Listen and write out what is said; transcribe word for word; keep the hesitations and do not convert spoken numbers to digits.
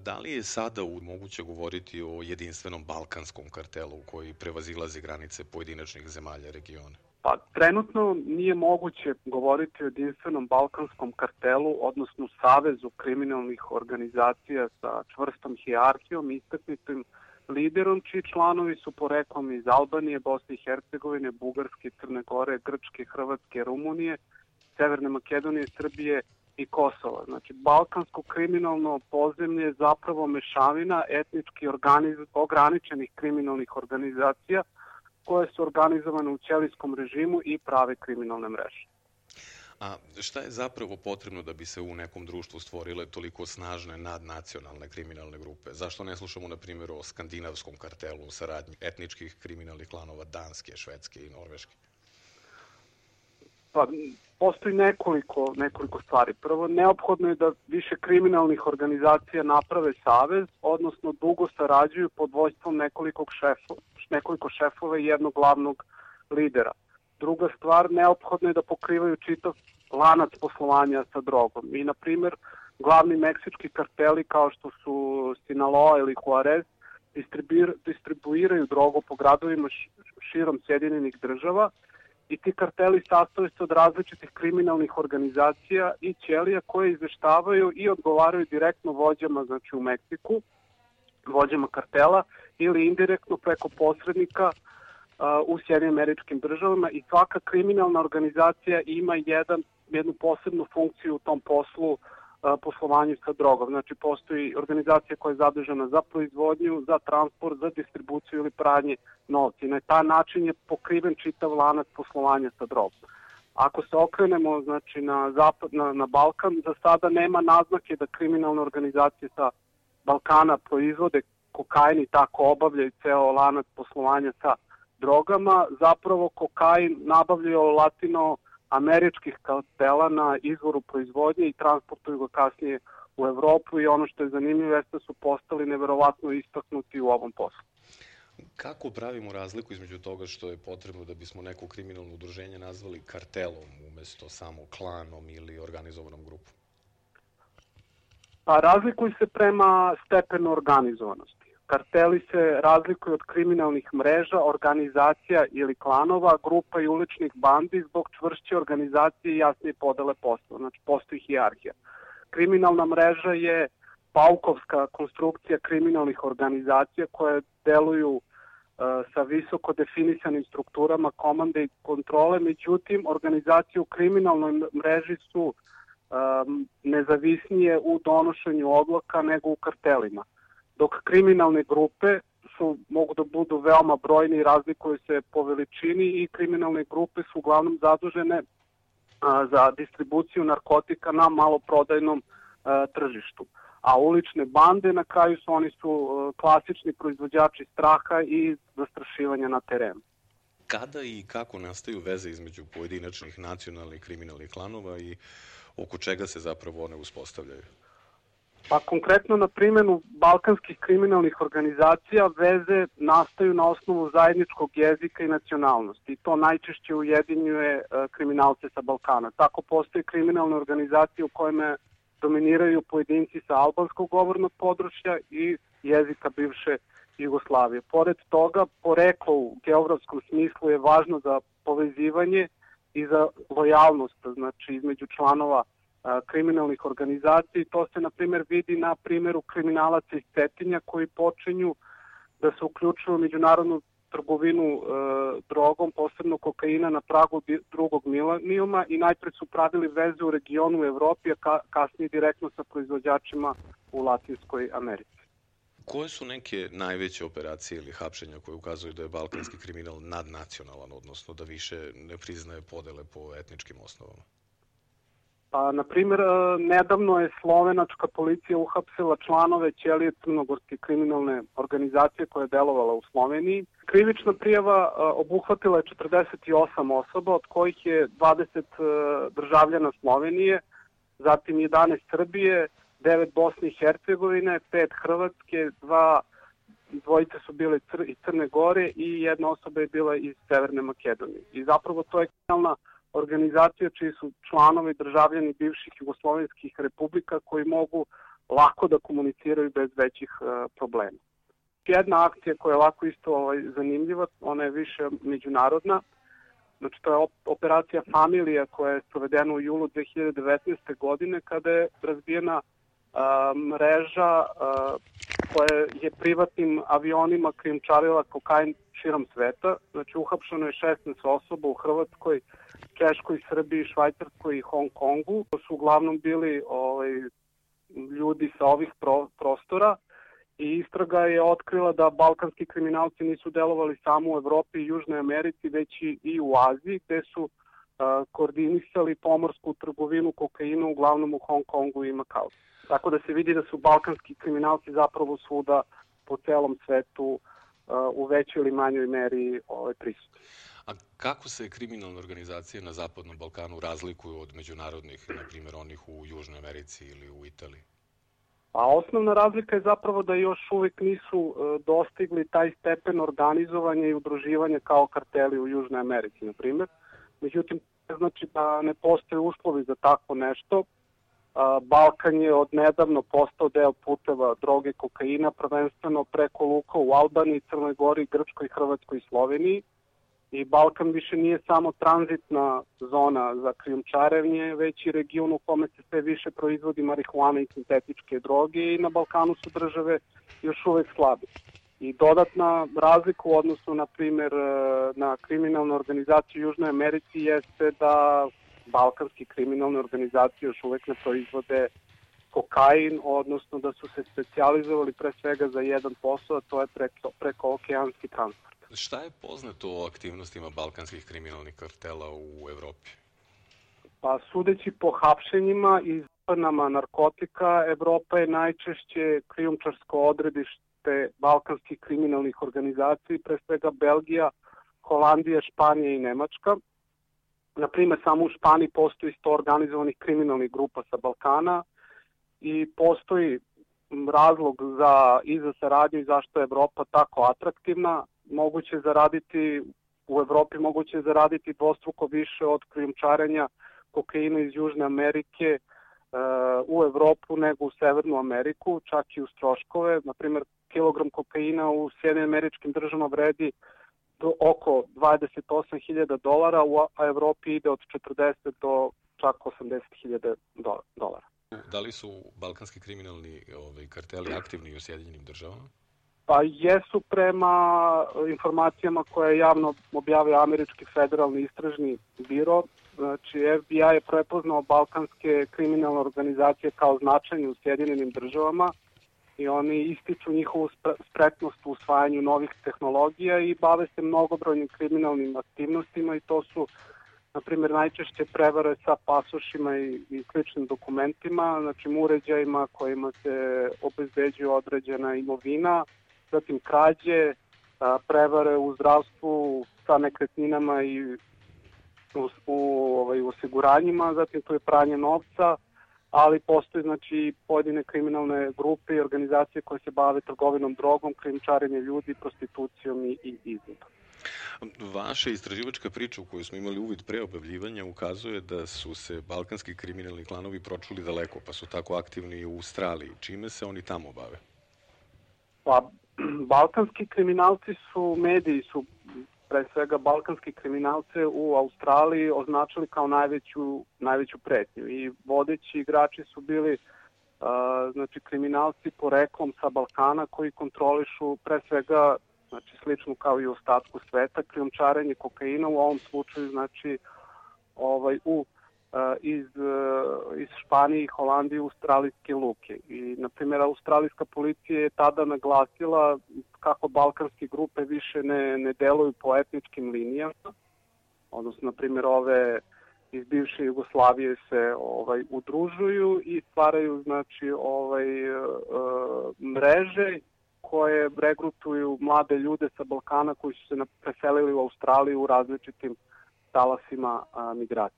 Da li je sada moguće govoriti o jedinstvenom balkanskom kartelu koji prevazilazi granice pojedinačnih zemalja regiona? Pa, trenutno nije moguće govoriti o jedinstvenom balkanskom kartelu, odnosno savezu kriminalnih organizacija sa čvrstom hijerarhijom, istaknutim liderom, čiji članovi su poreklom iz Albanije, Bosne i Hercegovine, Bugarske, Crne Gore, Grčke, Hrvatske, Rumunije, Severne Makedonije, Srbije i Kosova. Znači, balkansko kriminalno podzemlje je zapravo mešavina etnički organiz... ograničenih kriminalnih organizacija koje su organizovane u ćelijskom režimu i prave kriminalne mreže. A šta je zapravo potrebno da bi se u nekom društvu stvorile toliko snažne nadnacionalne kriminalne grupe? Zašto ne slušamo, na primjer, o skandinavskom kartelu u saradnji etničkih kriminalnih klanova Danske, Švedske i Norveške? Pa, postoji nekoliko, nekoliko stvari. Prvo, neophodno je da više kriminalnih organizacija naprave savez, odnosno dugo sarađuju pod vojstvom nekoliko šefova, nekoliko šefova i jednog glavnog lidera. Druga stvar, neophodno je da pokrivaju čitav lanac poslovanja sa drogom. I, na primjer, glavni meksički karteli kao što su Sinaloa ili Juarez distribuiraju drogu po gradovima širom Sjedinjenih država i ti karteli sastoje se od različitih kriminalnih organizacija i ćelija koje izveštavaju i odgovaraju direktno vođama, znači u Meksiku, vođama kartela ili indirektno preko posrednika u Sjedinim Američkim Državama i svaka kriminalna organizacija ima jedan, jednu posebnu funkciju u tom poslu, poslovanju sa drogom. Znači, postoji organizacija koja je zadužena za proizvodnju, za transport, za distribuciju ili pranje novca. Na taj način je pokriven čitav lanac poslovanja sa drogom. Ako se okrenemo, znači, na, zapad, na, na Balkan, za sada nema naznake da kriminalne organizacije sa Balkana proizvode kokain i tako obavljaju ceo lanac poslovanja sa drogama. Zapravo kokain nabavljaju latinoameričkih kartela na izvoru proizvodnje i transportuju ga kasnije u Evropu i ono što je zanimljivo jeste da su postali neverovatno istaknuti u ovom poslu. Kako pravimo razliku između toga što je potrebno da bismo neko kriminalno udruženje nazvali kartelom umesto samo klanom ili organizovanom grupom? Pa razlikuju se prema stepenu organizovanosti. Karteli se razlikuju od kriminalnih mreža, organizacija ili klanova, grupa i uličnih bandi zbog čvršće organizacije i jasnije podele posla. Znači, postoji hijerarhija. Kriminalna mreža je paukovska konstrukcija kriminalnih organizacija koje deluju uh, sa visoko definisanim strukturama komande i kontrole, međutim, organizacije u kriminalnoj mreži su um, nezavisnije u donošenju odluka nego u kartelima. Dok kriminalne grupe su, mogu da budu veoma brojne i razlikuju se po veličini i kriminalne grupe su uglavnom zadužene a, za distribuciju narkotika na maloprodajnom a, tržištu. A ulične bande na kraju su, oni su a, klasični proizvođači straha i zastrašivanja na terenu. Kada i kako nastaju veze između pojedinačnih nacionalnih kriminalnih klanova i oko čega se zapravo one uspostavljaju? Pa konkretno na primjenu balkanskih kriminalnih organizacija veze nastaju na osnovu zajedničkog jezika i nacionalnosti i to najčešće ujedinjuje kriminalce sa Balkana. Tako postoje kriminalne organizacije u kojima dominiraju pojedinci sa albanskog govornog područja i jezika bivše Jugoslavije. Pored toga, poreklo u geografskom smislu je važno za povezivanje i za lojalnost, znači između članova kriminalnih organizacija i to se, na primjer, vidi na primjeru kriminalaca iz Cetinja koji počinju da se uključuju u međunarodnu trgovinu e, drogom, posebno kokaina na pragu drugog milenijuma i najpred su pravili veze u regionu u Evropi, a ka, kasnije direktno sa proizvođačima u Latinskoj Americi. Koje su neke najveće operacije ili hapšenja koje ukazuju da je balkanski kriminal nadnacionalan, odnosno da više ne priznaje podele po etničkim osnovama? Pa, na primjer, nedavno je slovenačka policija uhapsila članove ćelije crnogorske kriminalne organizacije koja je delovala u Sloveniji. Krivična prijava obuhvatila je četrdeset osam osoba, od kojih je dvadeset državljana Slovenije, zatim jedanaest Srbije, devet Bosne i Hercegovine, pet Hrvatske, dva dvojice su bile iz Crne Gore i jedna osoba je bila iz Severne Makedonije. I zapravo to je kriminalna organizacija čiji su članovi državljani bivših jugoslovenskih republika koji mogu lako da komuniciraju bez većih uh, problema. Jedna akcija koja je ovako isto ovaj, zanimljiva, ona je više međunarodna. Znači, to je operacija Familija koja je sprovedena u julu dve hiljade devetnaeste. godine kada je razbijena a, mreža a, koja je privatnim avionima krijumčarila kokain širom sveta. Znači, uhapšeno je šesnaest osoba u Hrvatskoj, Češkoj, Srbiji, Švajcarskoj i Hong Kongu. To su uglavnom bili ovaj, ljudi sa ovih pro, prostora. I istraga je otkrila da balkanski kriminalci nisu delovali samo u Evropi i Južnoj Americi, već i u Aziji, gde su uh, koordinisali pomorsku trgovinu kokaina uglavnom u Hong Kongu i Makau. Tako da se vidi da su balkanski kriminalci zapravo svuda po celom svetu uh, u većoj ili manjoj meri ovaj, prisutni. A kako se kriminalne organizacije na Zapadnom Balkanu razlikuju od međunarodnih, na primjer onih u Južnoj Americi ili u Italiji? A osnovna razlika je zapravo da još uvijek nisu e, dostigli taj stepen organizovanja i udruživanja kao karteli u Južnoj Americi, na primjer. Međutim, znači da ne postoje uslovi za tako nešto. A, Balkan je odnedavno postao deo puteva droge kokaina, prvenstveno preko luka u Albaniji, Crnoj Gori, Grčkoj, Hrvatskoj i Sloveniji. I Balkan više nije samo tranzitna zona za krijumčarenje, već i region u kome se sve više proizvodi marihuana i sintetičke droge i na Balkanu su države još uvek slabe. I dodatna razlika u odnosu, na primjer, na kriminalne organizacije u Južnoj Americi jeste da balkanski kriminalne organizacije još uvek ne proizvode kokain, odnosno da su se specijalizovali pre svega za jedan posao, a to je preko, preko okeanski transport. Šta je poznato o aktivnostima balkanskih kriminalnih kartela u Evropi? Pa sudeći po hapšenjima i zapadnama narkotika, Evropa je najčešće krijumčarsko odredište balkanskih kriminalnih organizacija, pre svega Belgija, Holandija, Španija i Nemačka. Naprimer, samo u Španiji postoji sto organizovanih kriminalnih grupa sa Balkana i postoji razlog za, i za saradnju i zašto je Evropa tako atraktivna. Moguće zaraditi u Evropi moguće zaraditi dvostruko više od krijumčarenja kokaina iz Južne Amerike uh, u Evropu nego u Severnu Ameriku, čak i uz troškove. Na primjer, kilogram kokaina u Sjedinjenim Američkim Državama vredi do oko dvadeset osam hiljada dolara, a Evropi ide od četrdeset do čak osamdeset hiljada dolara. Da li su balkanski kriminalni ovaj, karteli aktivni u Sjedinjenim Državama? Pa jesu prema informacijama koje je javno objavio Američki federalni istražni biro. Znači, F B I je prepoznao balkanske kriminalne organizacije kao značajne u Sjedinjenim Državama i oni ističu njihovu spretnost u usvajanju novih tehnologija i bave se mnogobrojnim kriminalnim aktivnostima i to su, na primjer, najčešće prevare sa pasošima i, i sličnim dokumentima, znači uređajima kojima se obezbeđuje određena imovina, zatim krađe, prevare u zdravstvu sa nekretninama i u, u ovaj, osiguranjima, zatim tu je pranje novca, ali postoje znači pojedine kriminalne grupe i organizacije koje se bave trgovinom drogom, krijumčarenjem ljudi, prostitucijom i, i izvodom. Vaša istraživačka priča u kojoj smo imali uvid pre objavljivanja ukazuje da su se balkanski kriminalni klanovi pročuli daleko, pa su tako aktivni i u Australiji. Čime se oni tamo bave? Pa, balkanski kriminalci su, mediji su pre svega balkanski kriminalce u Australiji označili kao najveću, najveću pretnju i vodeći igrači su bili uh, znači kriminalci poreklom sa Balkana koji kontrolišu pre svega, znači slično kao i u ostatku sveta, krijumčarenje kokaina, u ovom slučaju znači ovaj u iz, iz Španije i Holandije u australijske luke. I, na primjer, australijska policija je tada naglasila kako balkanske grupe više ne, ne deluju po etničkim linijama, odnosno, na primjer, ove iz bivše Jugoslavije se ovaj udružuju i stvaraju znači ovaj uh, mreže koje regrutuju mlade ljude sa Balkana koji su se preselili u Australiju u različitim talasima a, migracije.